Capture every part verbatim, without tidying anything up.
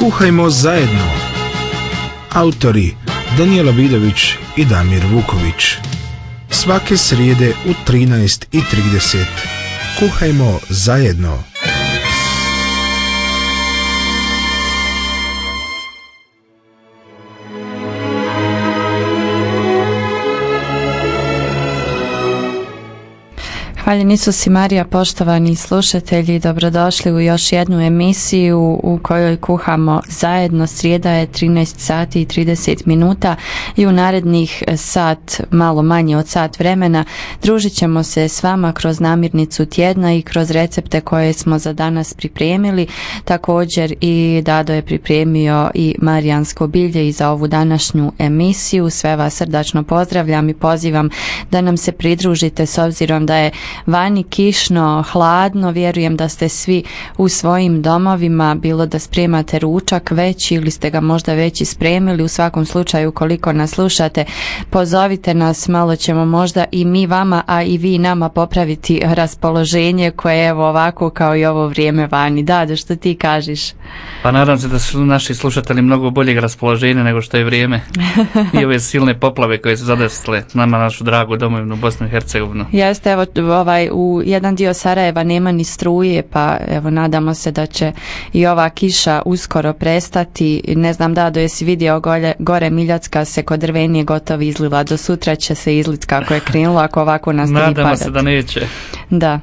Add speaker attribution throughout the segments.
Speaker 1: Kuhajmo zajedno. Autori Danijela Vidović i Damir Vuković. Svake srijede u trinaest i trideset. Kuhajmo zajedno.
Speaker 2: Hvaljen Isus i Marija, poštovani slušatelji, dobrodošli u još jednu emisiju u kojoj kuhamo zajedno. Srijeda je trinaest sati i trideset minuta i u narednih sat, malo manje od sat vremena, družit ćemo se s vama kroz namirnicu tjedna i kroz recepte koje smo za danas pripremili. Također i Dado je pripremio i marijansko bilje i za ovu današnju emisiju. Sve vas srdačno pozdravljam i pozivam da nam se pridružite s obzirom da je vani kišno, hladno. Vjerujem da ste svi u svojim domovima, bilo da spremate ručak već ili ste ga možda već i spremili. U svakom slučaju, koliko nas slušate, pozovite nas, malo ćemo možda i mi vama, a i vi nama popraviti raspoloženje koje je evo ovako kao i ovo vrijeme vani. Dado, što ti kažeš?
Speaker 3: Pa nadam se da su naši slušatelji mnogo boljeg raspoloženja nego što je vrijeme i ove silne poplave koje su zadesile nama našu dragu domovinu Bosnu i Hercegovinu.
Speaker 2: Jeste, evo ovaj, u jedan dio Sarajeva nema ni struje, pa evo nadamo se da će i ova kiša uskoro prestati. Ne znam, Dado, jesi vidio gore, gore Miljacka se kod Drvenije gotovo izlila, do sutra će se izlit kako je krenulo, ako ovako nastavi padati.
Speaker 3: Nadamo se da neće.
Speaker 2: Da.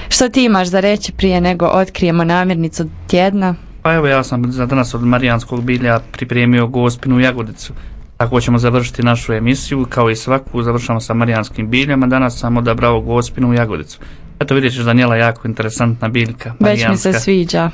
Speaker 2: Što ti imaš za reći prije nego otkrijemo namirnicu tjedna?
Speaker 3: Pa evo, ja sam za danas od marijanskog bilja pripremio gospinu jagodicu. Tako ćemo završiti našu emisiju, kao i svaku završamo sa marijanskim biljama. Danas sam odabrao gospinu jagodicu. Eto, vidjet ćeš, Danijela, jako interesantna biljka marijanska.
Speaker 2: Već mi se sviđa.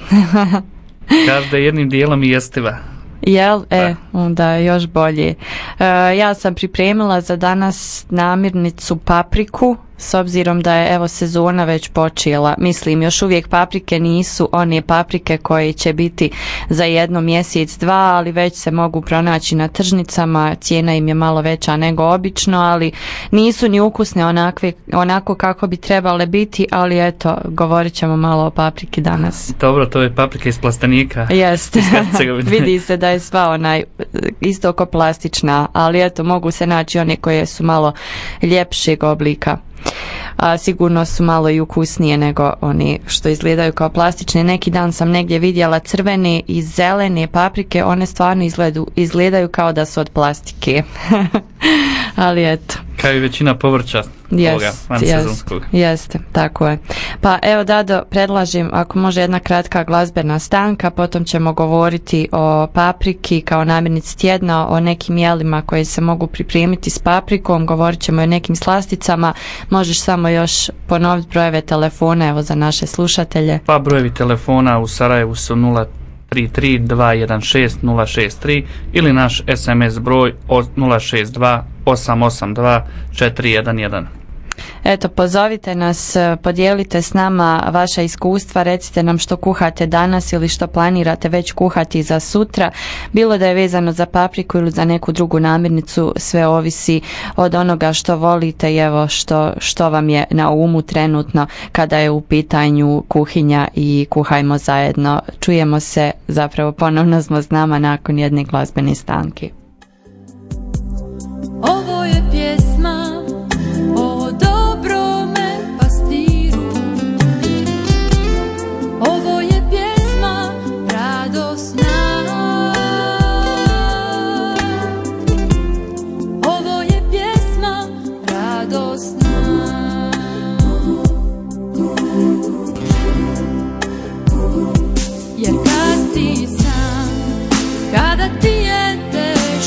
Speaker 3: Kaže da je jednim dijelom i jestiva.
Speaker 2: Jel? E, onda još bolje. E, ja sam pripremila za danas namirnicu papriku, s obzirom da je evo sezona već počela. Mislim, još uvijek paprike nisu one paprike koje će biti za jedno mjesec, dva, ali već se mogu pronaći na tržnicama. Cijena im je malo veća nego obično, ali nisu ni ukusne onakve, onako kako bi trebale biti, ali eto, govorit ćemo malo o papriki danas.
Speaker 3: Dobro, to je paprika iz plastenika.
Speaker 2: Jeste. Vidi se da je sva onaj isto oko plastična, ali eto, mogu se naći one koje su malo ljepšeg oblika. A, sigurno su malo i ukusnije nego oni što izgledaju kao plastične. Neki dan sam negdje vidjela crvene i zelene paprike, one stvarno izgledu, izgledaju kao da su od plastike. Ali eto. Kao
Speaker 3: i većina povrća ovoga vansezonskog.
Speaker 2: Jeste, jeste, tako je. Pa evo, Dado, predlažem ako može jedna kratka glazbena stanka, potom ćemo govoriti o papriki kao namirnici tjedna, o nekim jelima koje se mogu pripremiti s paprikom, govorit ćemo o nekim slasticama. Možeš samo još ponoviti brojeve telefona evo za naše slušatelje?
Speaker 3: Pa brojevi telefona u Sarajevu su nula tri tri dva jedan šest nula šest tri ili naš es em es broj nula šest dva osam osam dva četiri jedan jedan.
Speaker 2: Eto, pozovite nas, podijelite s nama vaša iskustva, recite nam što kuhate danas ili što planirate već kuhati za sutra, bilo da je vezano za papriku ili za neku drugu namirnicu, sve ovisi od onoga što volite i evo što, što vam je na umu trenutno kada je u pitanju kuhinja i kuhajmo zajedno. Čujemo se, zapravo ponovno smo s nama nakon jedne glazbene stanke.
Speaker 4: Ovo je pjesma o dobrome pastiru. Ovo je pjesma radosna. Ovo je pjesma radosna. Jer kad si sam, kada ti je teško,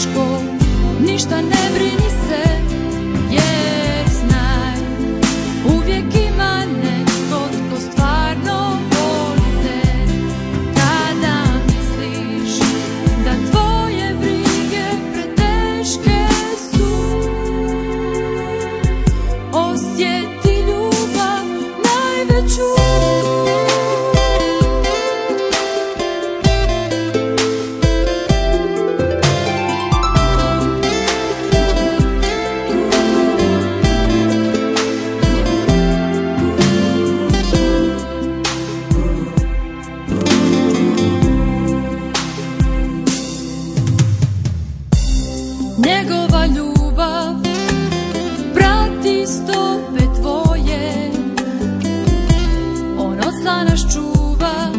Speaker 4: nas čuva,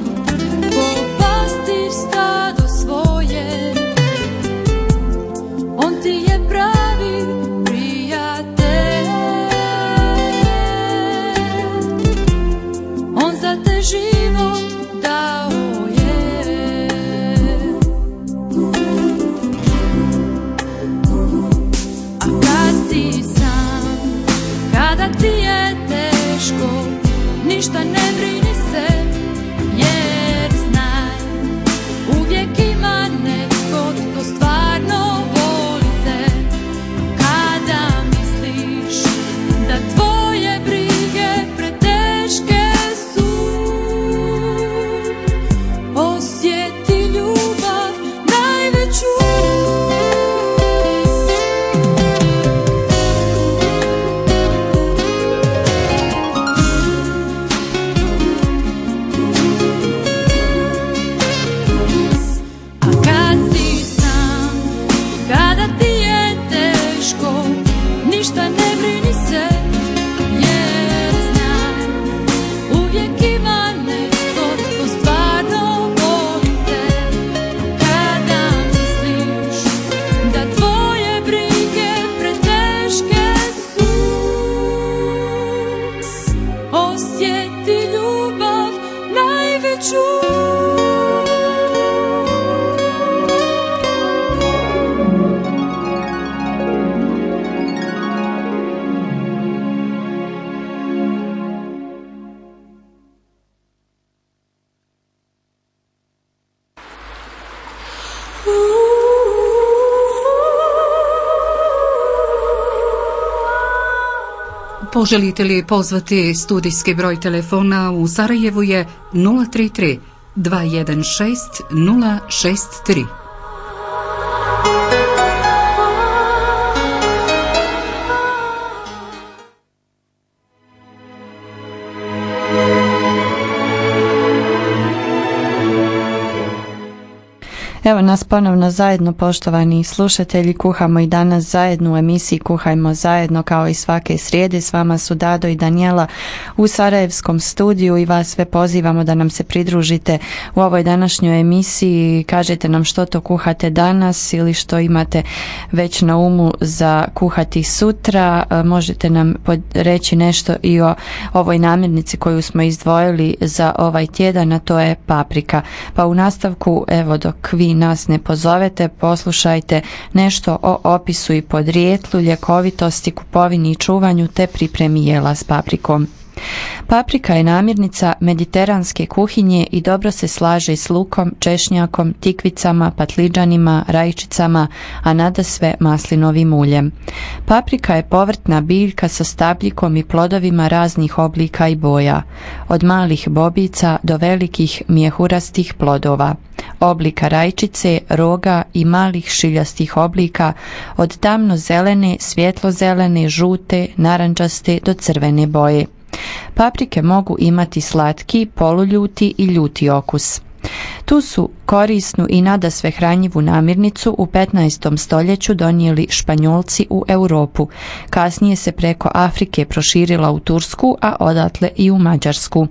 Speaker 4: ko pastir stado svoje. On ti je pravi prijatelj, on za te život dao je. A kad si sam, kada ti je teško, ništa ne brini se, jer znaj, uvijek ima neko tko stvarno voli te. Kada misliš da tvoje brige preteške su, osjeti ljubav najveću. A kad si sam, kada ti je teško, ništa ne brini se, jer znaj, uvijek ima neko tko stvarno voli te. Kada misliš da tvoje brige preteške su, osjeti ljubav najveću.
Speaker 5: Poželite li pozvati studijski broj telefona u Sarajevu je nula tri tri dva jedan šest nula šest tri.
Speaker 2: Evo nas ponovno zajedno, poštovani slušatelji, kuhamo i danas zajedno u emisiji Kuhajmo zajedno, kao i svake srijede. S vama su Dado i Danijela u sarajevskom studiju i vas sve pozivamo da nam se pridružite u ovoj današnjoj emisiji. Kažete nam što to kuhate danas ili što imate već na umu za kuhati sutra. Možete nam reći nešto i o ovoj namirnici koju smo izdvojili za ovaj tjedan, a to je paprika. Pa u nastavku, evo dok vi nas ne pozovete, poslušajte nešto o opisu i podrijetlu, ljekovitosti, kupovini i čuvanju te pripremi jela s paprikom. Paprika je namirnica mediteranske kuhinje i dobro se slaže s lukom, češnjakom, tikvicama, patliđanima, rajčicama, a nadasve maslinovim uljem. Paprika je povrtna biljka sa stabljikom i plodovima raznih oblika i boja, od malih bobica do velikih mjehurastih plodova, oblika rajčice, roga i malih šiljastih oblika, od tamno-zelene, svjetlo-zelene, žute, narandžaste do crvene boje. Paprike mogu imati slatki, poluljuti i ljuti okus. Tu su korisnu i nadasve hranjivu namirnicu u petnaestom stoljeću donijeli Španjolci u Europu. Kasnije se preko Afrike proširila u Tursku, a odatle i u Mađarsku.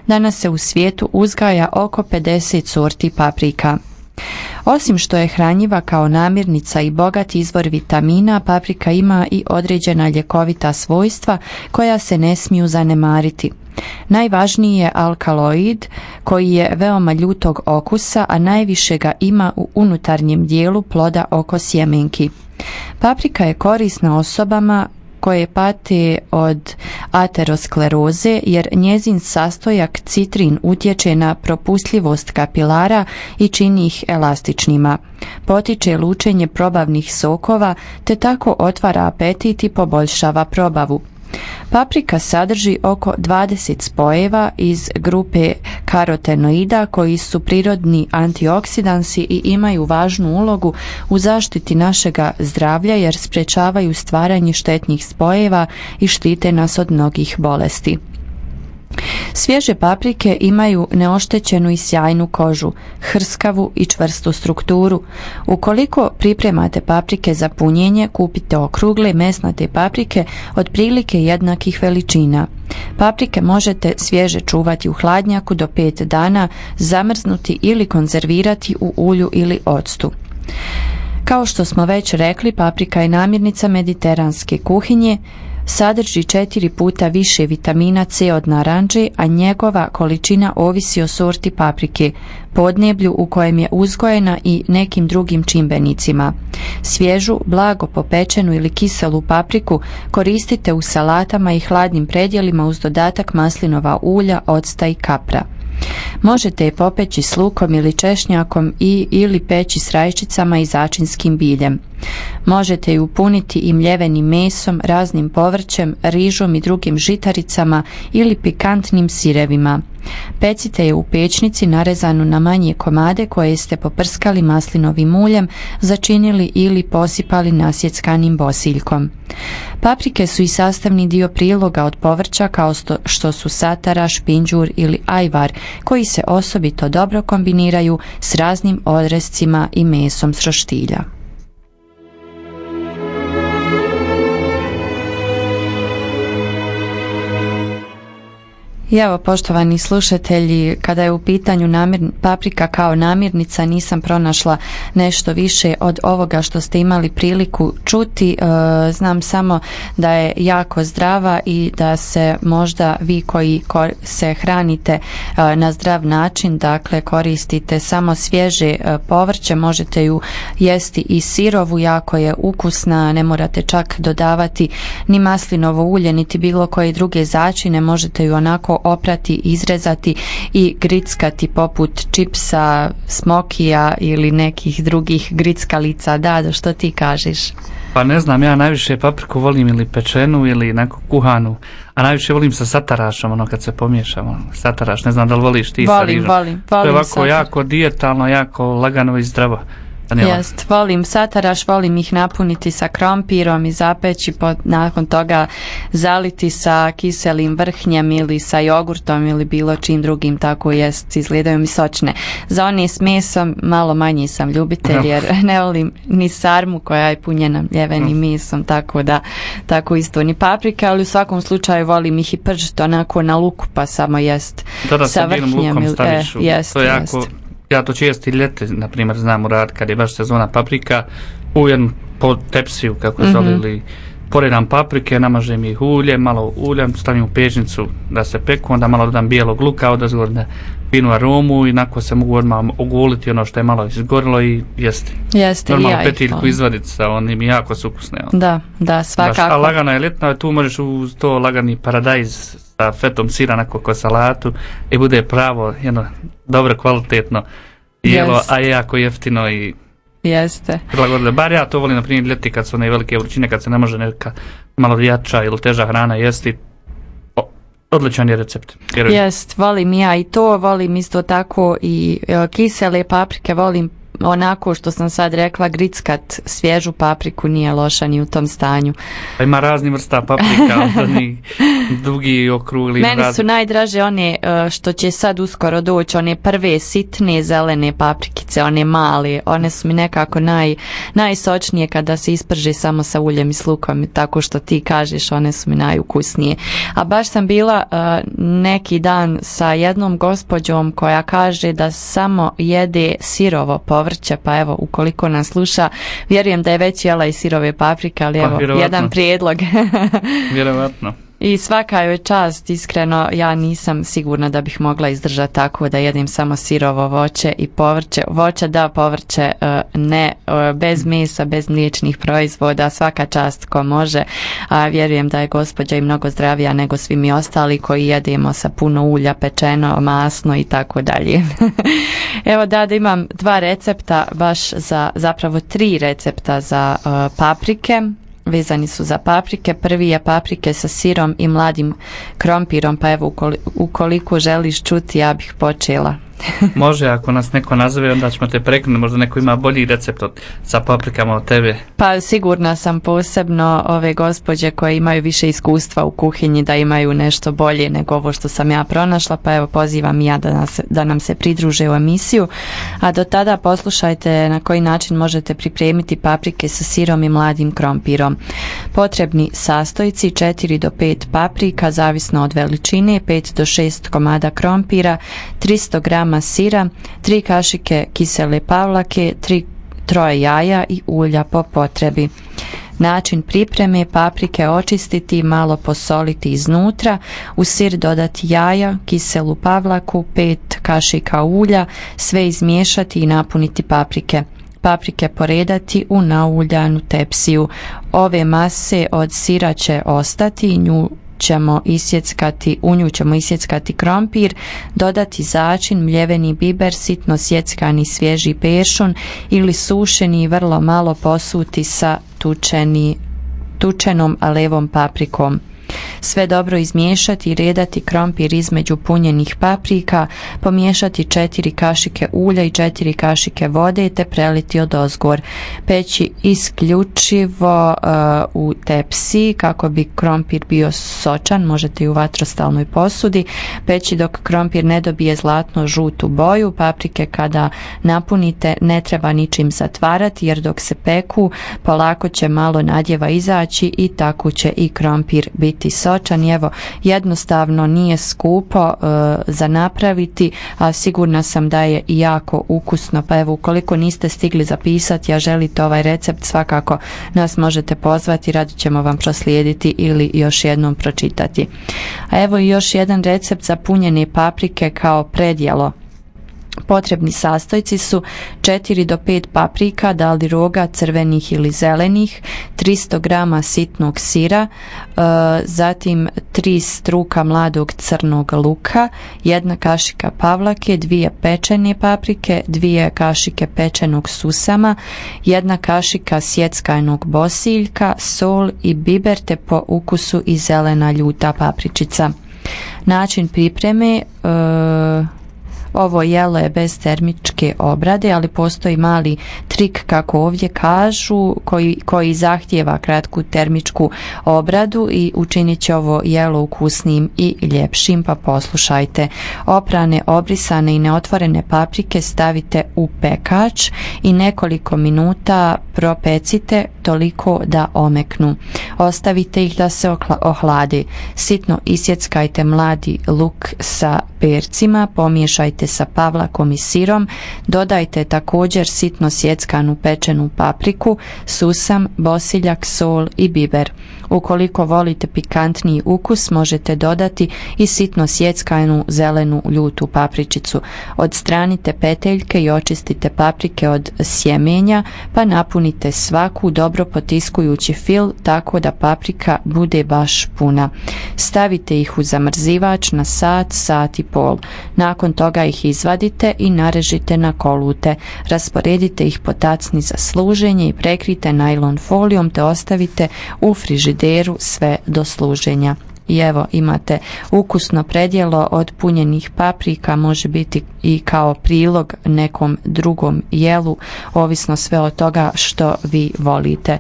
Speaker 2: Danas se u svijetu uzgaja oko pedeset sorti paprika. Osim što je hranjiva kao namirnica i bogat izvor vitamina, paprika ima i određena ljekovita svojstva koja se ne smiju zanemariti. Najvažniji je alkaloid koji je veoma ljutog okusa, a najviše ga ima u unutarnjem dijelu ploda oko sjemenki. Paprika je korisna osobama koje pate od ateroskleroze, jer njezin sastojak citrin utječe na propustljivost kapilara i čini ih elastičnima. Potiče lučenje probavnih sokova, te tako otvara apetit i poboljšava probavu. Paprika sadrži oko dvadeset spojeva iz grupe karotenoida koji su prirodni antioksidansi i imaju važnu ulogu u zaštiti našega zdravlja jer sprečavaju stvaranje štetnih spojeva i štite nas od mnogih bolesti. Svježe paprike imaju neoštećenu i sjajnu kožu, hrskavu i čvrstu strukturu. Ukoliko pripremate paprike za punjenje, kupite okrugle mesnate paprike otprilike jednakih veličina. Paprike možete svježe čuvati u hladnjaku do pet dana, zamrznuti ili konzervirati u ulju ili octu. Kao što smo već rekli, paprika je namirnica mediteranske kuhinje, sadrži četiri puta više vitamina C od naranče, a njegova količina ovisi o sorti paprike, podneblju u kojem je uzgojena i nekim drugim čimbenicima. Svježu, blago popečenu ili kiselu papriku koristite u salatama i hladnim predjelima uz dodatak maslinova ulja, octa i kapra. Možete je popeći s lukom ili češnjakom i ili peći s rajčicama i začinskim biljem. Možete ju puniti i mljevenim mesom, raznim povrćem, rižom i drugim žitaricama ili pikantnim sirevima. Pecite je u pečnici narezanu na manje komade koje ste poprskali maslinovim uljem, začinili ili posipali nasjeckanim bosiljkom. Paprike su i sastavni dio priloga od povrća kao što su satara, špinđur ili ajvar, koji se osobito dobro kombiniraju s raznim odrescima i mesom s roštilja. I evo, poštovani slušatelji, kada je u pitanju namir, paprika kao namirnica, nisam pronašla nešto više od ovoga što ste imali priliku čuti. E, znam samo da je jako zdrava i da se možda vi koji se hranite e, na zdrav način, dakle koristite samo svježe e, povrće, možete ju jesti i sirovu, jako je ukusna, ne morate čak dodavati ni maslinovo ulje, niti bilo koje druge začine, možete ju onako oprati, izrezati i grickati poput čipsa, smokija ili nekih drugih grickalica. Da, što ti kažeš?
Speaker 3: Pa ne znam, ja najviše papriku volim ili pečenu ili neku kuhanu, a najviše volim sa satarašom, ono kad se pomiješamo. Sataraš, ne znam da li voliš ti
Speaker 2: volim,
Speaker 3: sa rižom.
Speaker 2: Volim, volim.
Speaker 3: To je ovako
Speaker 2: sataraš.
Speaker 3: Jako dijetalno, jako lagano i zdravo.
Speaker 2: Jest, volim sataraš, volim ih napuniti sa krompirom i zapeći, pod, nakon toga zaliti sa kiselim vrhnjem ili sa jogurtom ili bilo čim drugim, tako jest, izgledaju mi sočne. Za one s mesom malo manje sam ljubitelj jer ne volim ni sarmu koja je punjena mljevenim mesom, tako da tako isto ni paprika, ali u svakom slučaju volim ih i pržiti onako na luku pa samo jest
Speaker 3: da,
Speaker 2: sa vrhnjem.
Speaker 3: Lukom staviš,
Speaker 2: e, jest,
Speaker 3: to je jako...
Speaker 2: jest.
Speaker 3: Ja to često i ljeti, na primjer, znam uraditi kad je baš sezona paprika, u jednu po tepsiju, kako mm-hmm. zove, ili poredam paprike, namažem ih ulje, malo uljem, stavim u pečnicu da se peku, onda malo dodam bijelog luka, odazgor da finu aromu i nakon se mogu odmah oguliti ono što je malo izgorilo i jesti.
Speaker 2: Jeste,
Speaker 3: normalno
Speaker 2: ja
Speaker 3: petiljku izvaditi sa onim, jako su ukusne. On.
Speaker 2: Da, da, svakako.
Speaker 3: Baš, a lagana je ljetna, tu možeš uz to lagani paradajz sa fetom sira na ko salatu i bude pravo jedno dobro kvalitetno jelo, yes. A je jako jeftino i
Speaker 2: jeste.
Speaker 3: Prilagodile. Bar ja to volim na primjer ljeti kad su one velike vrućine, kad se ne može neka malo jača ili teža hrana jesti. O, odličan je recept.
Speaker 2: Jest, volim ja i to, volim isto tako i e, kisele paprike, volim onako što sam sad rekla, grickat svježu papriku, nije loša ni u tom stanju.
Speaker 3: Pa ima razni vrsta paprika, oni dugi, okrugli.
Speaker 2: Meni
Speaker 3: razni.
Speaker 2: su najdraže one što će sad uskoro doći, one prve sitne zelene paprikice, one male, one su mi nekako naj, najsočnije kada se isprže samo sa uljem i s lukom, tako što ti kažeš, one su mi najukusnije. A baš sam bila uh, neki dan sa jednom gospođom koja kaže da samo jede sirovo povrće, pa evo, ukoliko nas sluša, vjerujem da je već jela i sirove paprike, ali evo,
Speaker 3: pa,
Speaker 2: jedan prijedlog.
Speaker 3: Vjerovatno.
Speaker 2: I svaka joj čast, iskreno, ja nisam sigurna da bih mogla izdržati tako da jedem samo sirovo voće i povrće. Voće da, povrće ne, bez mesa, bez mliječnih proizvoda, svaka čast ko može. A vjerujem da je gospođa i mnogo zdravija nego svi mi ostali koji jedemo sa puno ulja, pečeno, masno i tako dalje. Evo da, da imam dva recepta, baš za, zapravo tri recepta za uh, paprike. Vezani su za paprike. Prvi je paprike sa sirom i mladim krompirom, pa evo ukoliko želiš čuti, ja bih počela.
Speaker 3: Može, ako nas neko nazove, onda ćemo te prekinuti, možda neko ima bolji recept od, sa paprikama od tebe.
Speaker 2: Pa sigurna sam, posebno ove gospođe koje imaju više iskustva u kuhinji, da imaju nešto bolje nego ovo što sam ja pronašla, pa evo pozivam i ja da, nas, da nam se pridruže u emisiju. A do tada poslušajte na koji način možete pripremiti paprike sa sirom i mladim krompirom. Potrebni sastojci: četiri do pet paprika, zavisno od veličine, pet do šest komada krompira, tristo grama sira, tri kašike kisele pavlake, tri troje jaja i ulja po potrebi. Način pripreme: paprike očistiti, malo posoliti iznutra, u sir dodati jaja, kiselu pavlaku, pet kašika ulja, sve izmiješati i napuniti paprike. Paprike poredati u nauljanu tepsiju. Ove mase od sira će ostati, nju ćemo isjeckati, u nju ćemo isjeckati krompir, dodati začin, mljeveni biber, sitno sjeckani svježi peršun ili sušeni i vrlo malo posuti sa tučeni, tučenom levom paprikom. Sve dobro izmiješati i redati krompir između punjenih paprika, pomiješati četiri kašike ulja i četiri kašike vode te preliti odozgor. Peći isključivo uh, u tepsi kako bi krompir bio sočan, možete i u vatrostalnoj posudi. Peći dok krompir ne dobije zlatno žutu boju. Paprike kada napunite ne treba ničim zatvarati, jer dok se peku polako će malo nadjeva izaći i tako će i krompir biti sočan. Evo, jednostavno, nije skupo uh, za napraviti, a sigurna sam da je i jako ukusno. Pa evo, ukoliko niste stigli zapisati, a želite ovaj recept, svakako nas možete pozvati, rado ćemo vam proslijediti ili još jednom pročitati. A evo i još jedan recept za punjene paprike kao predjelo. Potrebni sastojci su četiri do pet paprika, da li roga, crvenih ili zelenih, tristo grama sitnog sira, e, zatim tri struka mladog crnog luka, jedna kašika pavlake, dvije pečene paprike, dvije kašike pečenog susama, jedna kašika sjeckanog bosiljka, sol i biber te po ukusu i zelena ljuta papričica. Način pripreme: e, ovo jelo je bez termičke obrade, ali postoji mali trik, kako ovdje kažu, koji, koji zahtijeva kratku termičku obradu i učinit će ovo jelo ukusnim i ljepšim, pa poslušajte. Oprane, obrisane i neotvorene paprike stavite u pekač i nekoliko minuta propecite toliko da omeknu. Ostavite ih da se ohladi. Sitno isjeckajte mladi luk sa percima, pomiješajte sa pavlakom i sirom, dodajte također sitno sjeckanu pečenu papriku, susam, bosiljak, sol i biber. Ukoliko volite pikantniji ukus, možete dodati i sitno sjeckanu zelenu ljutu papričicu. Odstranite peteljke i očistite paprike od sjemenja, pa napunite svaku dobro potiskujući fil tako da paprika bude baš puna. Stavite ih u zamrzivač na sat, sat i pol. Nakon toga ih izvadite i narežite na kolute. Rasporedite ih po tacni za služenje i prekrite najlon folijom te ostavite u frižideru sve do služenja. I evo, imate ukusno predjelo od punjenih paprika, može biti i kao prilog nekom drugom jelu, ovisno sve od toga što vi volite.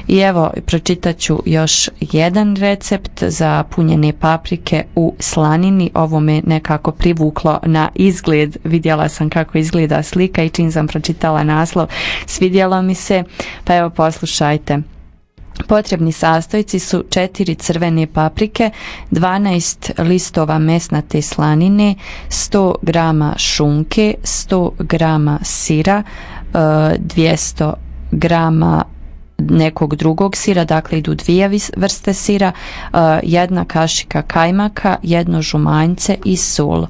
Speaker 2: I evo, pročitat ću još jedan recept za punjene paprike u slanini. Ovo me nekako privuklo na izgled, vidjela sam kako izgleda slika i čim sam pročitala naslov, svidjelo mi se, pa evo poslušajte. Potrebni sastojci su četiri crvene paprike, dvanaest listova mesnate slanine, sto grama šunke, sto grama sira, dvjesto grama nekog drugog sira, dakle idu dvije vrste sira, jedna kašika kajmaka, jedno žumanjce i sol.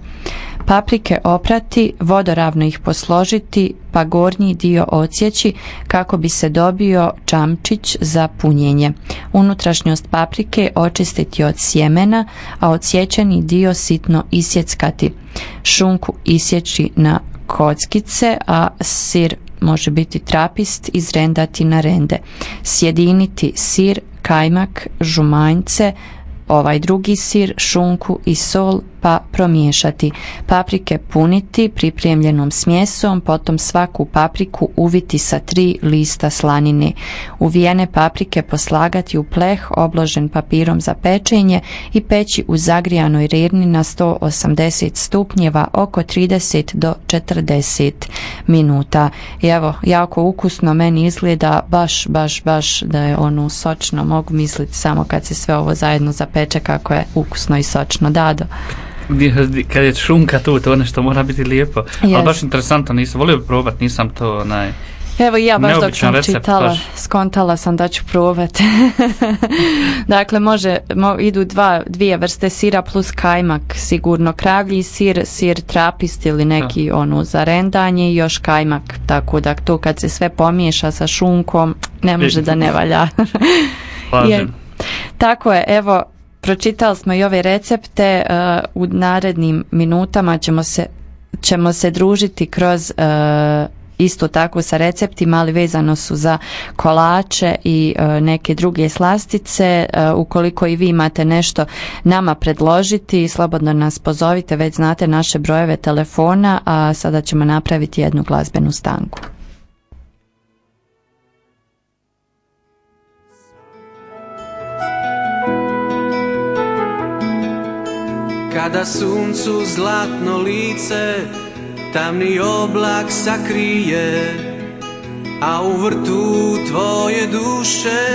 Speaker 2: Paprike oprati, vodoravno ih posložiti, pa gornji dio odsjeći kako bi se dobio čamčić za punjenje. Unutrašnjost paprike očistiti od sjemena, a odsječeni dio sitno isjeckati. Šunku isjeći na kockice, a sir može biti trapist, izrendati na rende. Sjediniti sir, kajmak, žumanjce, ovaj drugi sir, šunku i sol pa promiješati. Paprike puniti pripremljenom smjesom, potom svaku papriku uviti sa tri lista slanine. Uvijene paprike poslagati u pleh obložen papirom za pečenje i peći u zagrijanoj rerni na sto osamdeset stupnjeva oko trideset do četrdeset minuta. I evo, jako ukusno meni izgleda, baš, baš, baš da je ono sočno, mogu misliti samo kad se sve ovo zajedno zapeče kako je ukusno i sočno. Dado?
Speaker 3: Kad je šunka tu, to nešto mora biti lijepo.
Speaker 2: Yes.
Speaker 3: Ali baš interesantno, nisam volio bi probat, nisam to onaj...
Speaker 2: Evo i ja baš dok sam
Speaker 3: recept,
Speaker 2: čitala,
Speaker 3: baš.
Speaker 2: skontala sam da ću probati. Dakle, može, mo, idu dva, dvije vrste sira plus kajmak, sigurno kravlji sir, sir trapist ili neki da. ono za rendanje i još kajmak, tako da to kad se sve pomiješa sa šunkom, ne može da ne valja. je, tako je, evo, pročitali smo i ove recepte, uh, u narednim minutama ćemo se, ćemo se družiti kroz uh, isto tako sa receptima, ali vezano su za kolače i uh, neke druge slastice. Uh, ukoliko i vi imate nešto nama predložiti, slobodno nas pozovite, već znate naše brojeve telefona, a sada ćemo napraviti jednu glazbenu stanku.
Speaker 6: Kada suncu zlatno lice tamni oblak sakrije, a u vrtu tvoje duše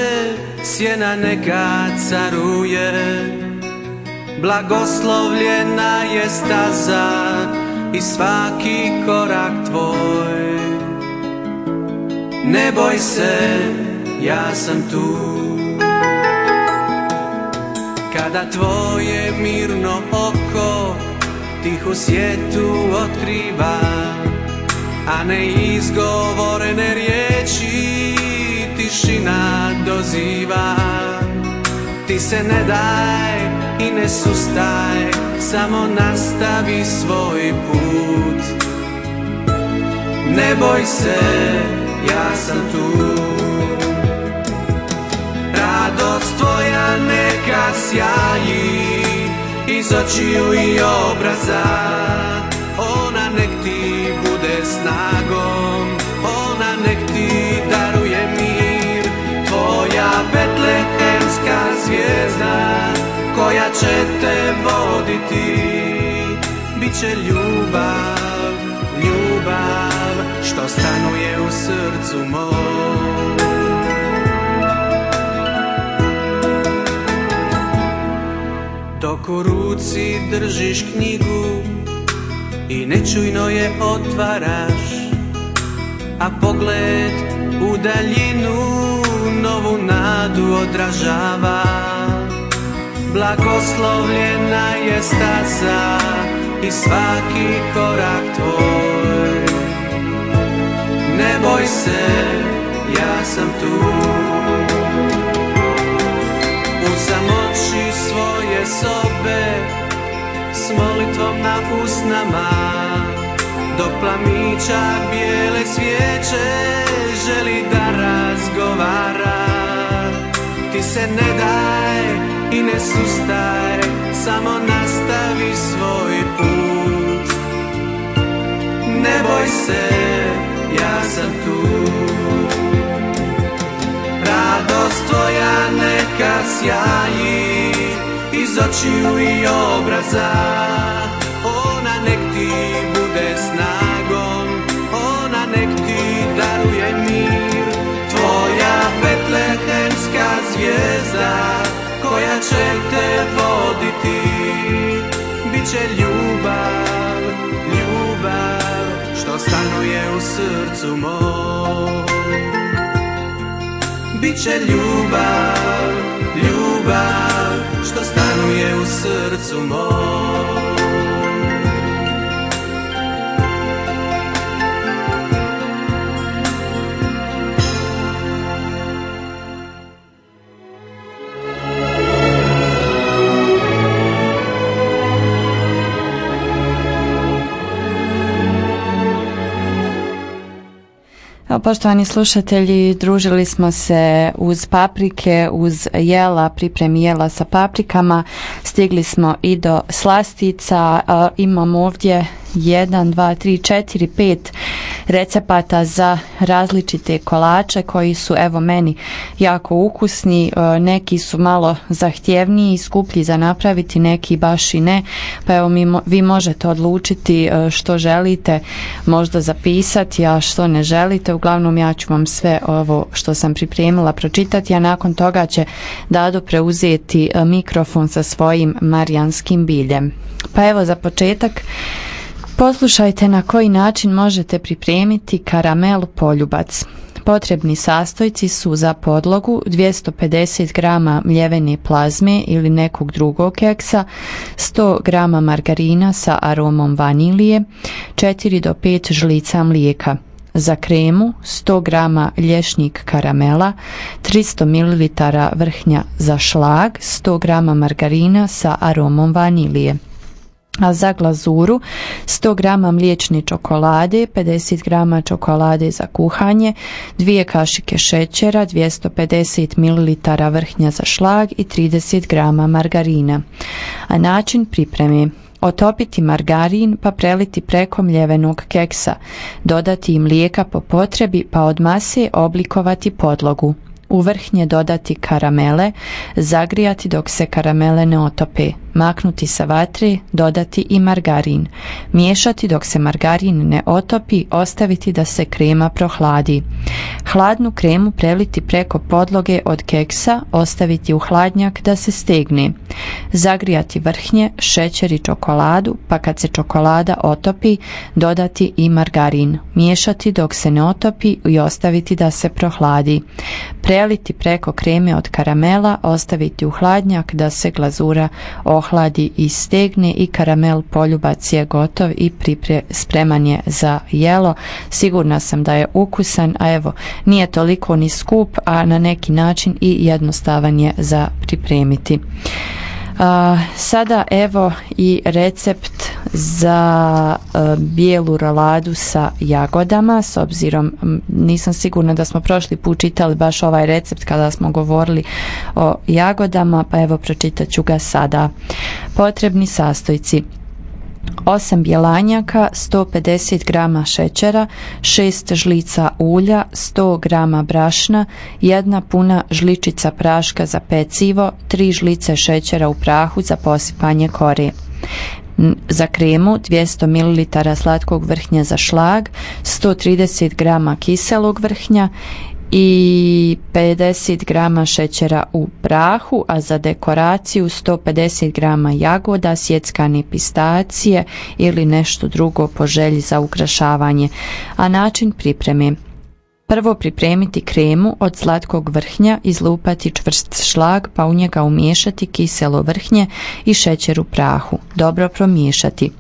Speaker 6: sjena neka caruje. Blagoslovljena je staza i svaki korak tvoj. Ne boj se, ja sam tu. Kada tvoje mirno oko tihu svijetu otkriva, a ne izgovorene riječi tišina doziva. Ti se ne daj i ne sustaj, samo nastavi svoj put. Ne boj se, ja sam tu. Radost tvoja neka sjaji iz očiju i obraza. Ona nek ti bude snagom, ona nek ti daruje mir. Tvoja betlehemska zvijezda koja će te voditi. Biće ljubav, ljubav što stanuje u srcu mom. Dok u ruci držiš knjigu i nečujno je otvaraš, a pogled u daljinu novu nadu odražava. Blagoslovljena je staza i svaki korak tvoj. Ne boj se, ja sam tu. U samoći svoje sobe s molitvom na usnama, dok plamića bijele svijeće želi da razgovara. Ti se ne daj i ne sustaj, samo nastavi svoj put. Ne boj se, ja sam tu. Radost tvoja neka sjaji iz očiju i obraza. Ona nek ti bude snagom, ona nek ti daruje mir. Tvoja betlehemska zvijezda koja će te voditi. Biće ljubav, ljubav što stanuje u srcu mom. Biće ljubav, ljubav što stanuje u srcu mom.
Speaker 2: Poštovani slušatelji, družili smo se uz paprike, uz jela, pripremi jela sa paprikama, stigli smo i do slastica, imamo ovdje jedan, dva, tri, četiri, pet recepata za različite kolače koji su evo meni jako ukusni, neki su malo zahtjevniji i skuplji za napraviti, neki baš i ne, pa evo mi, vi možete odlučiti što želite možda zapisati, a što ne želite. Uglavnom ja ću vam sve ovo što sam pripremila pročitati, a nakon toga će Dado preuzeti mikrofon sa svojim marijanskim biljem. Pa evo za početak poslušajte na koji način možete pripremiti karamel poljubac. Potrebni sastojci su za podlogu dvjesto pedeset grama mljevene plazme ili nekog drugog keksa, sto grama margarina sa aromom vanilije, četiri do pet žlica mlijeka. Za kremu sto grama lješnjik karamela, tristo mililitara vrhnja za šlag, sto grama margarina sa aromom vanilije. A za glazuru sto grama mliječne čokolade, pedeset grama čokolade za kuhanje, dvije kašike šećera, dvjesto pedeset mililitara vrhnja za šlag i trideset grama margarina. A način pripreme: otopiti margarin pa preliti preko mljevenog keksa, dodati im mlijeka po potrebi pa od mase oblikovati podlogu. U vrhnje dodati karamele, zagrijati dok se karamele ne otope, maknuti sa vatre, dodati i margarin, miješati dok se margarin ne otopi, ostaviti da se krema prohladi. Hladnu kremu preliti preko podloge od keksa, ostaviti u hladnjak da se stegne. Zagrijati vrhnje, šećer i čokoladu, pa kad se čokolada otopi, dodati i margarin, miješati dok se ne otopi i ostaviti da se prohladi. Preliti preko kreme od karamela, ostaviti u hladnjak da se glazura ohladi i stegne i karamel poljubac je gotov i pripre, spreman je za jelo. Sigurna sam da je ukusan, a evo nije toliko ni skup, a na neki način i jednostavan je za pripremiti. Uh, sada evo i recept za uh, bijelu roladu sa jagodama, s obzirom m, nisam sigurna da smo prošli put čitali baš ovaj recept kada smo govorili o jagodama, pa evo pročitat ću ga sada. Potrebni sastojci: osam bjelanjaka, sto pedeset grama šećera, šest žlica ulja, sto grama brašna, jedna puna žličica praška za pecivo, tri žlice šećera u prahu za posipanje kore. Za kremu dvjesto mililitara slatkog vrhnja za šlag, sto trideset grama kiselog vrhnja i pedeset grama šećera u prahu, a za dekoraciju sto pedeset grama jagoda, sjeckane pistacije ili nešto drugo po želji za ukrašavanje. A način pripreme: prvo pripremiti kremu od slatkog vrhnja, izlupati čvrst šlag pa u njega umiješati kiselo vrhnje i šećer u prahu, dobro promiješati.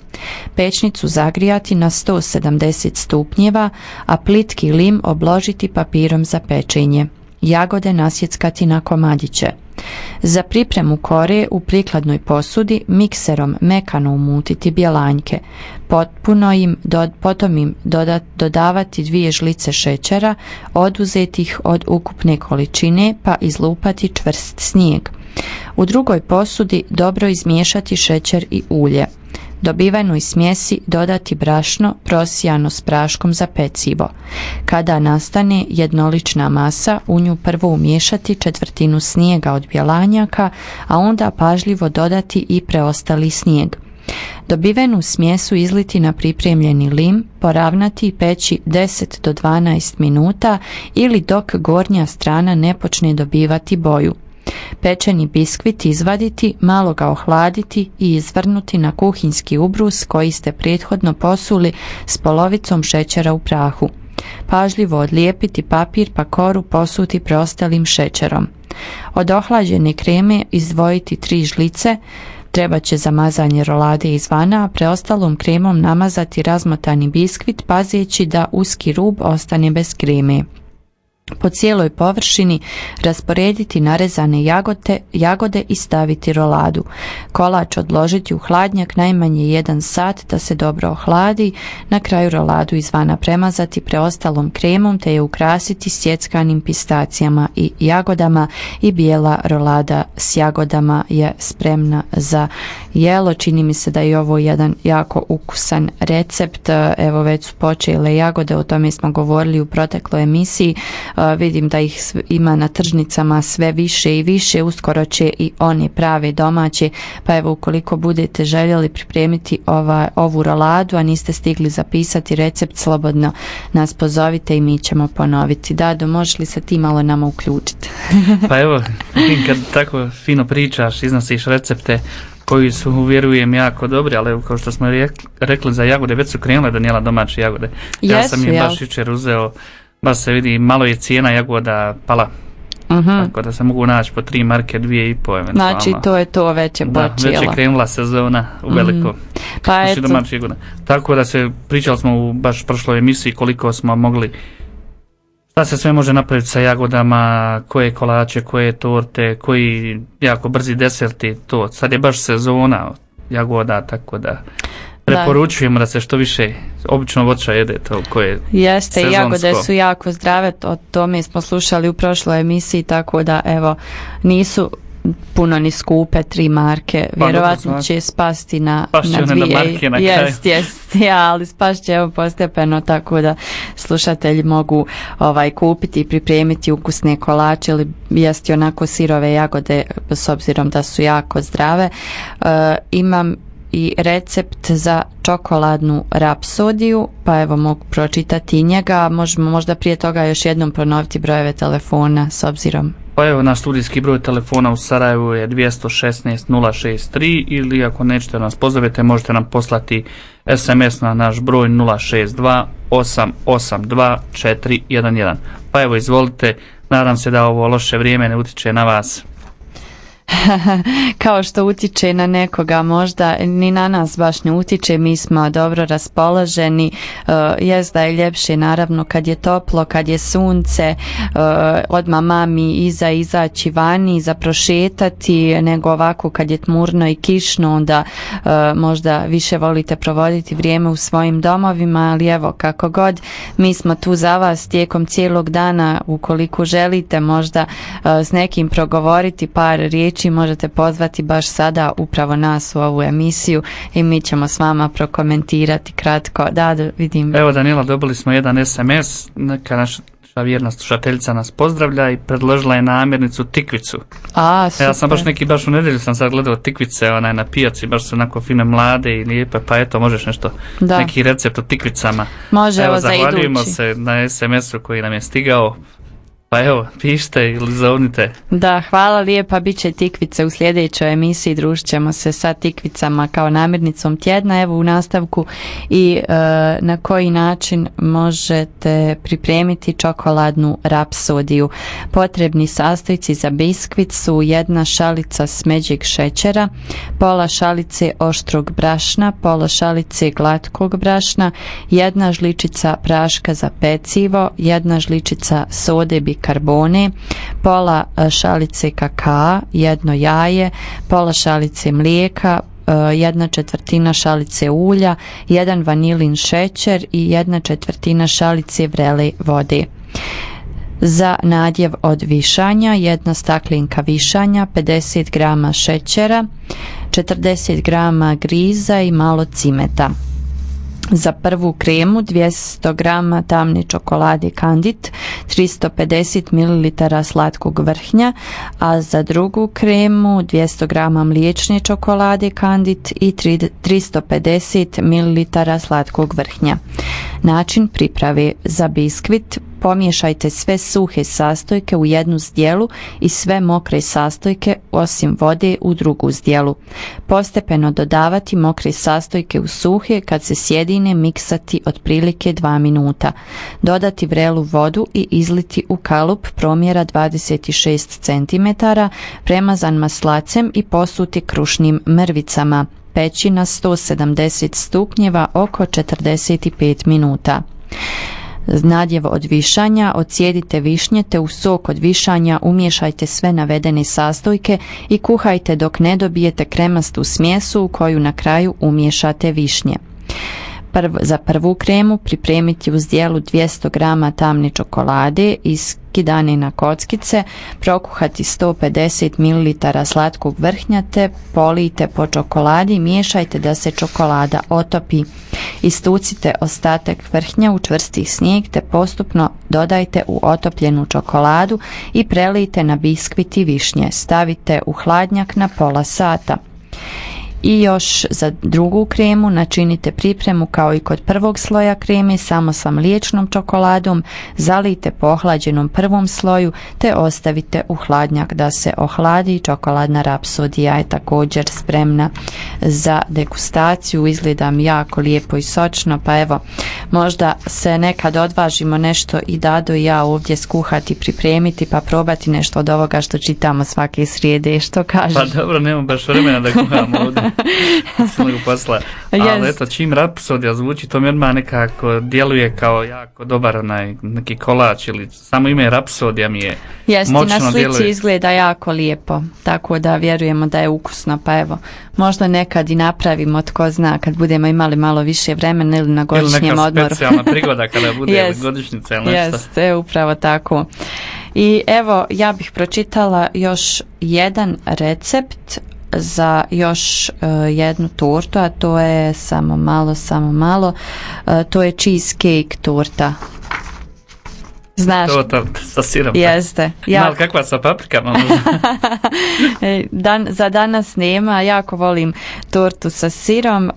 Speaker 2: Pečnicu zagrijati na sto sedamdeset stupnjeva, a plitki lim obložiti papirom za pečenje. Jagode nasjeckati na komadiće. Za pripremu kore u prikladnoj posudi mikserom mekano umutiti bjelanjke, potpuno im, do, potom im dodat, dodavati dvije žlice šećera, oduzeti ih od ukupne količine pa izlupati čvrst snijeg. U drugoj posudi dobro izmiješati šećer i ulje. Dobivenoj smjesi dodati brašno prosijano s praškom za pecivo. Kada nastane jednolična masa, u nju prvo umiješati četvrtinu snijega od bjelanjaka, a onda pažljivo dodati i preostali snijeg. Dobivenu smjesu izliti na pripremljeni lim, poravnati i peći deset do dvanaest minuta ili dok gornja strana ne počne dobivati boju. Pečeni biskvit izvaditi, malo ga ohladiti i izvrnuti na kuhinjski ubrus koji ste prethodno posuli s polovicom šećera u prahu. Pažljivo odlijepiti papir pa koru posuti preostalim šećerom. Od ohlađene kreme izdvojiti tri žlice, treba će za mazanje rolade izvana, a preostalom kremom namazati razmotani biskvit pazeći da uski rub ostane bez kreme. Po cijeloj površini rasporediti narezane jagode, jagode i staviti roladu. Kolač odložiti u hladnjak najmanje jedan sat da se dobro ohladi. Na kraju roladu izvana premazati preostalom kremom te je ukrasiti sjeckanim pistacijama i jagodama i bijela rolada s jagodama je spremna za jelo. Čini mi se da je ovo jedan jako ukusan recept. Evo već su počele jagode, o tome smo govorili u protekloj emisiji. Vidim da ih ima na tržnicama sve više i više, uskoro će i oni prave domaće, pa evo ukoliko budete željeli pripremiti ova, ovu roladu, a niste stigli zapisati recept, slobodno nas pozovite i mi ćemo ponoviti. Dado, možeš li se ti malo nama uključiti?
Speaker 3: Pa evo, kad tako fino pričaš, iznosiš recepte koji su, vjerujem, jako dobri, ali evo, kao što smo rekli za jagode, već su krenule Danijela domaće jagode. Ja
Speaker 2: Jesu,
Speaker 3: sam ih
Speaker 2: jel?
Speaker 3: baš jučer uzeo, baš se vidi, malo je cijena jagoda pala.
Speaker 2: Uh-huh.
Speaker 3: Tako da se mogu naći po tri marke, dvije i po eventualno.
Speaker 2: Znači to je to, već je
Speaker 3: Da,
Speaker 2: počelo.
Speaker 3: već je krenula sezona u veliko.
Speaker 2: Mm. Pa
Speaker 3: Znači,
Speaker 2: eto.
Speaker 3: domaće jagode. Tako da se, pričali smo u baš prošloj emisiji koliko smo mogli, šta se sve može napraviti sa jagodama, koje kolače, koje torte, koji jako brzi deserti, to. Sad je baš sezona jagoda, tako da preporučujemo da se što više obično voća jede, to koje
Speaker 2: Jeste,
Speaker 3: sezonsko.
Speaker 2: jagode su jako zdrave, o tome smo slušali u prošloj emisiji, tako da evo, nisu puno ni skupe, tri marke,
Speaker 3: Pa,
Speaker 2: vjerovatno
Speaker 3: dobro,
Speaker 2: će spasti na,
Speaker 3: Spašće
Speaker 2: na
Speaker 3: one
Speaker 2: dvije.
Speaker 3: na marke na kraju.
Speaker 2: Jest, jest, ja, ali spašće evo postepeno, tako da slušatelji mogu ovaj kupiti i pripremiti ukusne kolače ili jesti onako sirove jagode, s obzirom da su jako zdrave. E, imam i recept za čokoladnu rapsodiju, pa evo mogu pročitati njega. Možemo možda prije toga još jednom ponoviti brojeve telefona s obzirom.
Speaker 3: Pa evo, naš studijski broj telefona u Sarajevu je dvjesto šesnaest nula šezdeset tri, ili ako nećete nas pozovete, možete nam poslati es em es na naš broj nula šezdeset dva osam osam dva četiri jedan jedan. Pa evo, izvolite, nadam se da ovo loše vrijeme ne utječe na vas.
Speaker 2: Kao što utiče na nekoga, možda ni na nas baš ne utiče, mi smo dobro raspoloženi. Uh, jest da je ljepše naravno kad je toplo, kad je sunce, uh, odmah mami iza izaći vani, za prošetati, nego ovako kad je tmurno i kišno, onda uh, možda više volite provoditi vrijeme u svojim domovima, ali evo kako god, mi smo tu za vas tijekom cijelog dana. Ukoliko želite možda uh, s nekim progovoriti par riječi, možete pozvati baš sada upravo nas u ovu emisiju i mi ćemo s vama prokomentirati kratko. Da, da vidim.
Speaker 3: Evo, Danijela, dobili smo jedan es em es, neka naša vjerna slušateljica nas pozdravlja i predložila je namirnicu tikvicu.
Speaker 2: A, super.
Speaker 3: Ja sam baš neki, baš u nedjelju sam sad gledao tikvice onaj na pijaci, baš su onako fine, mlade i lijepe, pa eto, možeš nešto,
Speaker 2: Da.
Speaker 3: neki recept o tikvicama.
Speaker 2: Može,
Speaker 3: Evo,
Speaker 2: evo za
Speaker 3: zahvaljujemo
Speaker 2: idući.
Speaker 3: se na es em esu koji nam je stigao. Pa evo, pišite ili zovnite.
Speaker 2: Da, hvala lijepa, bit će tikvice u sljedećoj emisiji, družit ćemo se sa tikvicama kao namirnicom tjedna. Evo u nastavku i e, na koji način možete pripremiti čokoladnu rapsodiju. Potrebni sastojci za biskvit su jedna šalica smeđeg šećera, pola šalice oštrog brašna, pola šalice glatkog brašna, jedna žličica praška za pecivo, jedna žličica sode bikarbone, pola šalice kakaa, jedno jaje, pola šalice mlijeka, jedna četvrtina šalice ulja, jedan vanilin šećer i jedna četvrtina šalice vrele vode. Za nadjev od višanja jedna staklenka višanja, pedeset grama šećera, četrdeset grama griza i malo cimeta. Za prvu kremu dvjesto grama tamne čokolade Kandit, tristo pedeset mililitara slatkog vrhnja, a za drugu kremu dvjesto grama mliječne čokolade Kandit i tristo pedeset mililitara slatkog vrhnja. Način priprave: za biskvit pomiješajte sve suhe sastojke u jednu zdjelu i sve mokre sastojke osim vode u drugu zdjelu. Postepeno dodavati mokre sastojke u suhe, kad se sjedine miksati otprilike dva minuta. Dodati vrelu vodu i izliti u kalup promjera dvadeset šest centimetara premazan maslacem i posuti krušnim mrvicama. Peći na sto sedamdeset stupnjeva oko četrdeset pet minuta. nadjev od višanja, ocijedite višnje te u sok od višanja umiješajte sve navedene sastojke i kuhajte dok ne dobijete kremastu smjesu u koju na kraju umiješate višnje. Prv, za prvu kremu pripremiti uz dijelu dvjesto grama tamne čokolade iskidane na kockice, prokuhati sto pedeset mililitara slatkog vrhnja te polijte po čokoladi i miješajte da se čokolada otopi. Istucite ostatak vrhnja u čvrsti snijeg te postupno dodajte u otopljenu čokoladu i prelijte na biskvit i višnje. Stavite u hladnjak na pola sata. I još za drugu kremu načinite pripremu kao i kod prvog sloja kreme, samo sa mliječnom čokoladom, zalijte po ohlađenom prvom sloju te ostavite u hladnjak da se ohladi. Čokoladna rapsodija je također spremna za degustaciju, izgleda mi jako lijepo i sočno, pa evo, možda se nekad odvažimo nešto i Dado i ja ovdje skuhati, pripremiti pa probati nešto od ovoga što čitamo svake srijede, što kažeš?
Speaker 3: Pa dobro, nemam baš vremena da kuhamo ovdje. Posla.
Speaker 2: Yes.
Speaker 3: Ali eto, čim rapsodija zvuči, to mi odmah nekako djeluje kao jako dobar onaj neki kolač ili samo ime rapsodija mi je
Speaker 2: Jeste,
Speaker 3: moćno
Speaker 2: na slici
Speaker 3: djeluje.
Speaker 2: Izgleda jako lijepo, tako da vjerujemo da je ukusno, pa evo, možda nekad i napravimo, tko zna, kad budemo imali malo više vremena ili na godišnjem
Speaker 3: ili neka
Speaker 2: odmoru.
Speaker 3: specijalna prigoda kada bude
Speaker 2: yes.
Speaker 3: godišnjica ili nešto.
Speaker 2: Jeste, upravo tako. I evo, ja bih pročitala još jedan recept za još uh, jednu tortu, a to je samo malo, samo malo, uh, to je cheesecake torta. Znaš?
Speaker 3: To, to, sa sirom.
Speaker 2: Jeste. Ja...
Speaker 3: Mal kakva sa paprikama?
Speaker 2: Dan, za danas nema, jako volim tortu sa sirom, uh,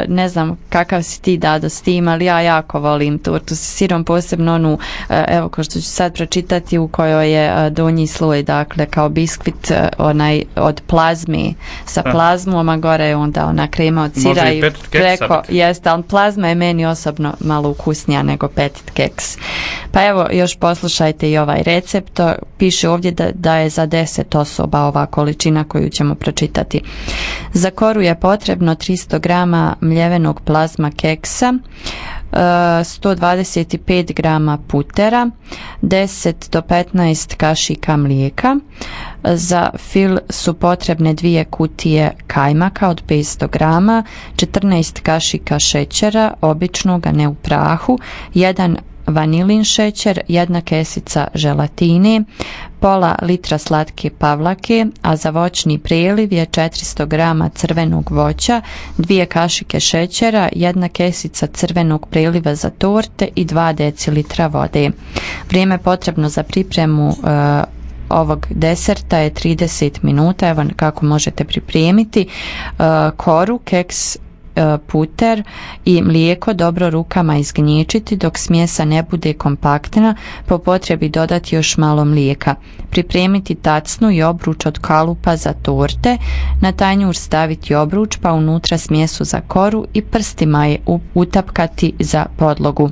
Speaker 2: ne znam kakav si ti Dado s tim, ali ja jako volim tortu sa sirom, posebno onu, uh, evo ko što ću sad pročitati, u kojoj je uh, donji sloj, dakle kao biskvit uh, onaj od plazme, sa
Speaker 3: da.
Speaker 2: Plazmom, a gore je onda ona krema od sira i preko, jeste, ali plazma je meni osobno malo ukusnija nego petit keks. Pa evo, još poslušajte i ovaj recept. Piše ovdje da, da je za deset osoba ova količina koju ćemo pročitati. Za koru je potrebno tristo grama mljevenog plazma keksa, sto dvadeset pet grama putera, deset do petnaest kašika mlijeka. Za fil su potrebne dvije kutije kajmaka od petsto grama, četrnaest kašika šećera, običnog, a ne u prahu, jedan vanilin šećer, jedna kesica želatine, pola litra slatke pavlake, a za voćni preliv je četiristo grama crvenog voća, dvije kašike šećera, jedna kesica crvenog preliva za torte i dva decilitra vode. Vrijeme potrebno za pripremu uh, ovog deserta je trideset minuta. Evo kako možete pripremiti. Uh, koru, keks, puter i mlijeko dobro rukama izgnječiti dok smjesa ne bude kompaktna, po potrebi dodati još malo mlijeka. Pripremiti tacnu i obruč od kalupa za torte, na tanjur staviti obruč pa unutra smjesu za koru i prstima je utapkati za podlogu.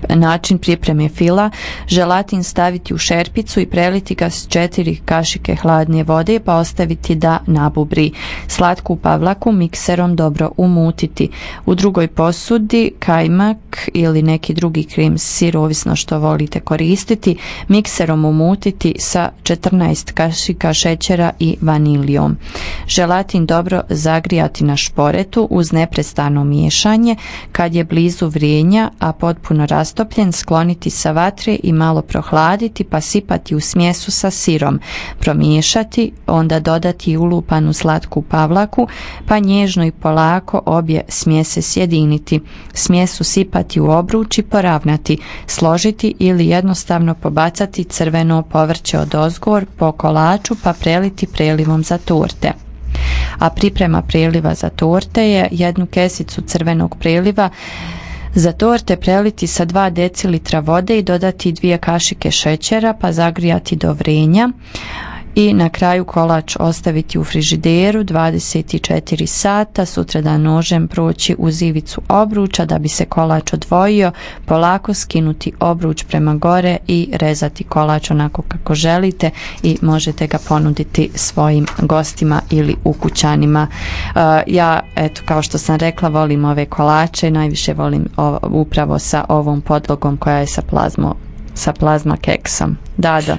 Speaker 2: Način pripreme fila: želatin staviti u šerpicu i preliti ga s četiri kašike hladne vode pa ostaviti da nabubri. Slatku pavlaku mikserom dobro umutiti. U drugoj posudi kajmak ili neki drugi krem sir, ovisno što volite koristiti, mikserom umutiti sa četrnaest kašika šećera i vanilijom. Želatin dobro zagrijati na šporetu uz neprestano miješanje. Kad je blizu vrenja, a potpuno rastopljen, skloniti sa vatre i malo prohladiti pa sipati u smjesu sa sirom, promiješati, onda dodati ulupanu slatku pavlaku pa nježno i polako obje smjese sjediniti. Smjesu sipati u obruč i poravnati, složiti ili jednostavno pobacati crveno povrće odozgor po kolaču pa preliti prelivom za torte. A priprema preliva za torte je jednu kesicu crvenog preliva za torte preliti sa dva decilitra vode i dodati dvije kašike šećera pa zagrijati do vrenja i na kraju kolač ostaviti u frižideru dvadeset četiri sata, sutradan nožem proći uz ivicu obruča da bi se kolač odvojio, polako skinuti obruč prema gore i rezati kolač onako kako želite i možete ga ponuditi svojim gostima ili ukućanima. Uh, ja, eto, kao što sam rekla, volim ove kolače, najviše volim o, upravo sa ovom podlogom koja je sa plazmo, sa plazma keksom. Da, da.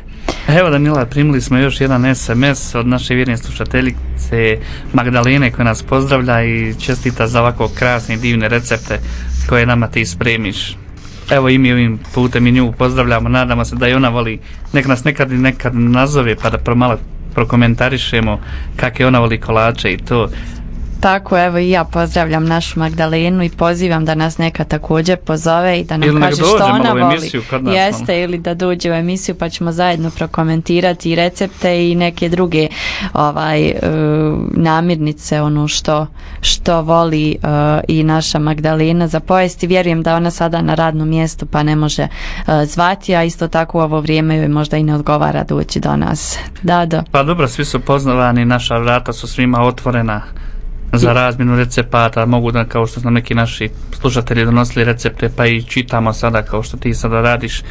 Speaker 3: Evo Danila, primili smo još jedan es em es od naše vjerne slušateljice Magdalene koja nas pozdravlja i čestita za ovako krasne i divne recepte koje nama ti spremiš. Evo i mi ovim putem i nju pozdravljamo, nadamo se da i ona voli, nek nas nekad i nekad nazove pa da pro malo prokomentarišemo kakve ona voli kolače i to.
Speaker 2: Tako, evo i ja pozdravljam našu Magdalenu i pozivam da nas neka također pozove i da nam
Speaker 3: ili
Speaker 2: kaže što ona voli.
Speaker 3: Nas,
Speaker 2: Jeste,
Speaker 3: malo.
Speaker 2: Ili da dođe u emisiju pa ćemo zajedno prokomentirati i recepte i neke druge ovaj, uh, namirnice, ono što, što voli uh, i naša Magdalena za pojesti. Vjerujem da ona sada na radnom mjestu pa ne može uh, zvati, a isto tako u ovo vrijeme joj možda i ne odgovara doći do nas. Da, da.
Speaker 3: Pa dobro, svi su poznavani, naša vrata su svima otvorena za razmjenu recepata, mogu da, kao što su nam neki naši slušatelji donosili recepte, pa i čitamo sada kao što ti sada radiš.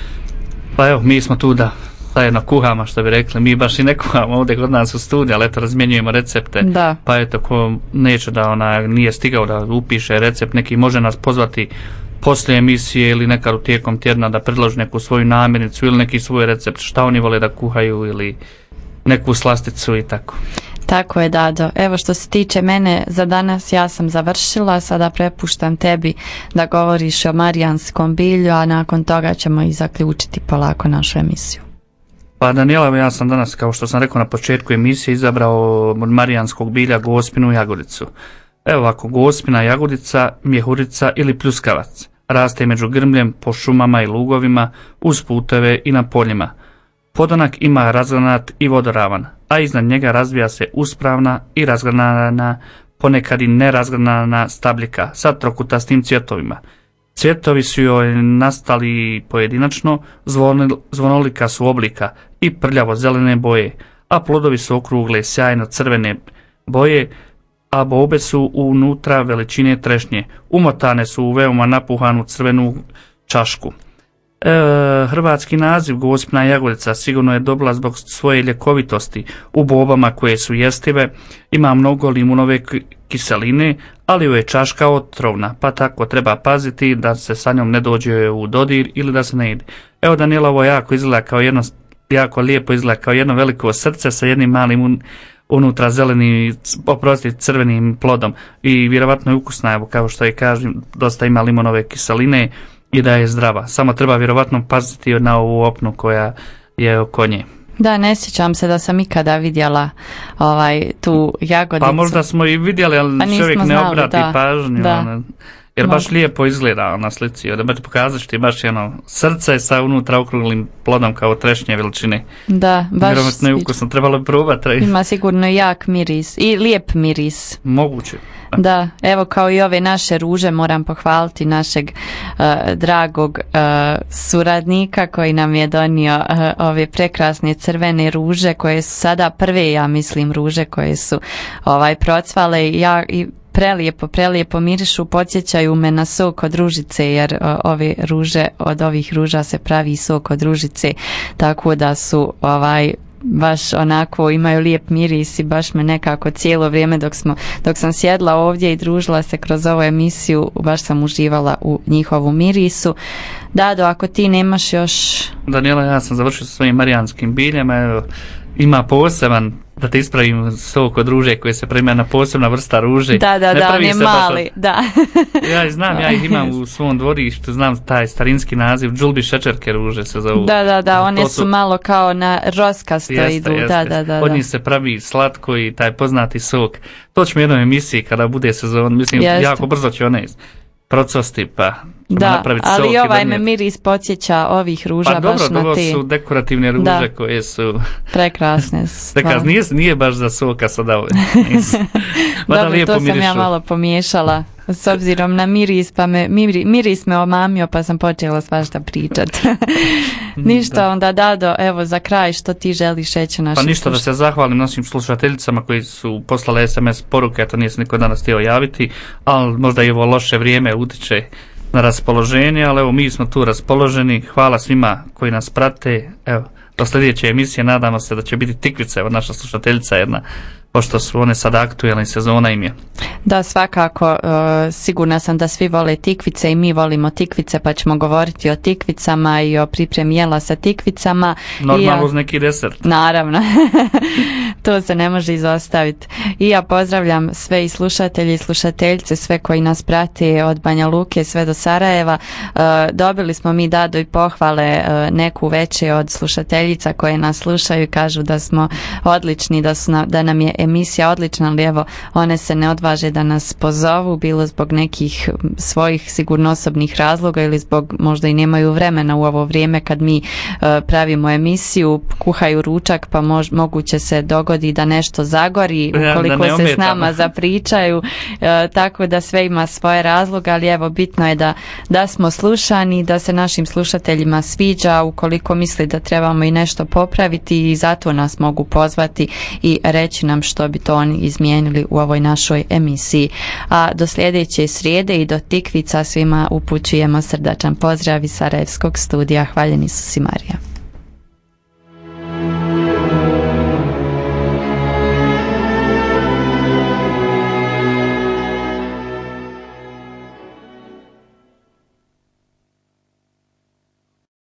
Speaker 3: Pa evo, mi smo tu da zajedno kuhamo, što bi rekli, mi baš i ne kuhamo ovdje kod nas u studiju, ali eto razmjenjujemo recepte.
Speaker 2: Da.
Speaker 3: Pa eto, ko neće da ona nije stigao da upiše recept, neki može nas pozvati poslije emisije ili nekad u tijekom tjedna da predloži neku svoju namirnicu ili neki svoj recept, šta oni vole da kuhaju ili neku slasticu i tako.
Speaker 2: Tako je, Dado. Evo, što se tiče mene, za danas ja sam završila, sada prepuštam tebi da govoriš o marijanskom bilju, a nakon toga ćemo i zaključiti polako našu emisiju.
Speaker 3: Pa Daniela, ja sam danas, kao što sam rekao na početku emisije, izabrao od marijanskog bilja gospinu jagodicu. Evo ovako, gospina jagodica, mjehurica ili pljuskavac. Raste među grmljem, po šumama i lugovima, uz puteve i na poljima. Podonak ima razgranat i vodoravan, a iznad njega razvija se uspravna i razgranana, ponekad i nerazgranana stabljika sa trokutastim cvjetovima. Cvjetovi su joj nastali pojedinačno, zvonolika su oblika i prljavo zelene boje, a plodovi su okrugle sjajno crvene boje, a bobe su unutra veličine trešnje, umotane su u veoma napuhanu crvenu čašku. E, hrvatski naziv gospina jagodica sigurno je dobila zbog svoje ljekovitosti u bobama koje su jestive, ima mnogo limunove kiseline, ali joj je čaška otrovna, pa tako treba paziti da se sa njom ne dođe u dodir ili da se ne jede. Evo Daniela, ovo jako izgleda kao jedno, jako lijepo izgleda kao jedno veliko srce sa jednim malim un, unutra zelenim, oprosti, crvenim plodom i vjerovatno je ukusna, evo kao što je kažem, dosta ima limonove kiseline i da je zdrava. Samo treba vjerovatno paziti na ovu opnu koja je oko nje.
Speaker 2: Da, ne sjećam se da sam ikada vidjela ovaj, tu jagodicu.
Speaker 3: Pa možda smo i vidjeli, ali pa čovjek ne
Speaker 2: znali,
Speaker 3: obrati
Speaker 2: da,
Speaker 3: pažnju.
Speaker 2: da.
Speaker 3: Ona, jer baš lijepo izgleda na slici. Da bi ti pokazati što je baš jedno srce sa unutra okruglim plodom kao trešnje veličine.
Speaker 2: Da, baš.
Speaker 3: Vjerovatno je ukusno, trebalo bi probati.
Speaker 2: Ima sigurno jak miris i lijep miris.
Speaker 3: Moguće.
Speaker 2: Da, evo kao i ove naše ruže moram pohvaliti našeg uh, dragog uh, suradnika koji nam je donio uh, ove prekrasne crvene ruže koje su sada prve, ja mislim, ruže koje su ovaj procvale i ja i prelijepo, prelijepo mirišu, podsjećaju me na sok od ružice, jer uh, ove ruže, od ovih ruža se pravi sok od ružice, tako da su ovaj baš onako imaju lijep miris i baš me nekako cijelo vrijeme dok, smo, dok sam sjedla ovdje i družila se kroz ovu emisiju, baš sam uživala u njihovu mirisu. Dado, ako ti nemaš još...
Speaker 3: Daniela, ja sam završio sa svojim marijanskim biljama, evo, ima poseban, da te ispravim, sok od ruže koje se prima na posebna vrsta ruže.
Speaker 2: Da, da,
Speaker 3: ne
Speaker 2: da, on je mali,
Speaker 3: od...
Speaker 2: da.
Speaker 3: Ja znam, ja ih imam u svom dvorištu, znam taj starinski naziv, džulbi šećerke ruže se zovu.
Speaker 2: Da, da, da, one
Speaker 3: su...
Speaker 2: su malo kao na roskasto
Speaker 3: jeste,
Speaker 2: idu.
Speaker 3: Jeste,
Speaker 2: da, da, da,
Speaker 3: od
Speaker 2: da.
Speaker 3: njih se pravi slatko i taj poznati sok. To ćemo u jednoj emisiji kada bude sezon, mislim,
Speaker 2: jeste.
Speaker 3: jako brzo će one procvasti, pa
Speaker 2: Da,
Speaker 3: napraviti
Speaker 2: ali
Speaker 3: sok i
Speaker 2: ovaj me
Speaker 3: donijeti.
Speaker 2: miris podsjeća ovih ruža
Speaker 3: Pa
Speaker 2: baš
Speaker 3: dobro,
Speaker 2: na
Speaker 3: ovo
Speaker 2: te.
Speaker 3: su dekorativne ruže
Speaker 2: Da.
Speaker 3: koje su...
Speaker 2: Prekrasne stvarno.
Speaker 3: Dakle, nije, nije baš za soka sada ove.
Speaker 2: Dobro, to sam ja malo pomiješala s obzirom na miris, pa me, miri, miris me omamio pa sam počela svašta pričat. Ništa,
Speaker 3: Da.
Speaker 2: onda Dado, evo za kraj što ti želiš reći našim
Speaker 3: Pa ništa, da se zahvalim našim slušateljicama koji su poslale es em es poruke, to nije se niko danas htio javiti, ali možda i ovo loše vrijeme utiče na raspoloženje, ali evo mi smo tu raspoloženi. Hvala svima koji nas prate. Evo, do sljedeće emisije nadamo se da će biti tikvica, evo naša slušateljica jedna, pošto su one sad aktuelne, sezona im je.
Speaker 2: Da, svakako, uh, sigurna sam da svi vole tikvice i mi volimo tikvice, pa ćemo govoriti o tikvicama i o pripremi jela sa tikvicama.
Speaker 3: Normalno
Speaker 2: I
Speaker 3: uz neki desert.
Speaker 2: Naravno, to se ne može izostaviti. I ja pozdravljam sve i slušatelji i slušateljice, sve koji nas prate od Banja Luke sve do Sarajeva. Uh, dobili smo mi, Dado, i pohvale uh, neku veće od slušateljica koje nas slušaju i kažu da smo odlični, da, su na, da nam je emisija odlična, ali evo, one se ne odvaže da nas pozovu, bilo zbog nekih svojih sigurno osobnih razloga ili zbog možda i nemaju vremena u ovo vrijeme kad mi uh, pravimo emisiju, kuhaju ručak, pa mož, moguće se dogodi da nešto zagori ukoliko
Speaker 3: ja,
Speaker 2: se s nama zapričaju, uh, tako da sve ima svoje razloga, ali evo, bitno je da, da smo slušani, da se našim slušateljima sviđa, ukoliko misli da trebamo i nešto popraviti, i zato nas mogu pozvati i reći nam što bi to oni izmijenili u ovoj našoj emisiji. A do sljedeće srijede i do tikvica svima upućujemo srdačan pozdrav iz Sarajevskog studija. Hvaljeni su si, Marija.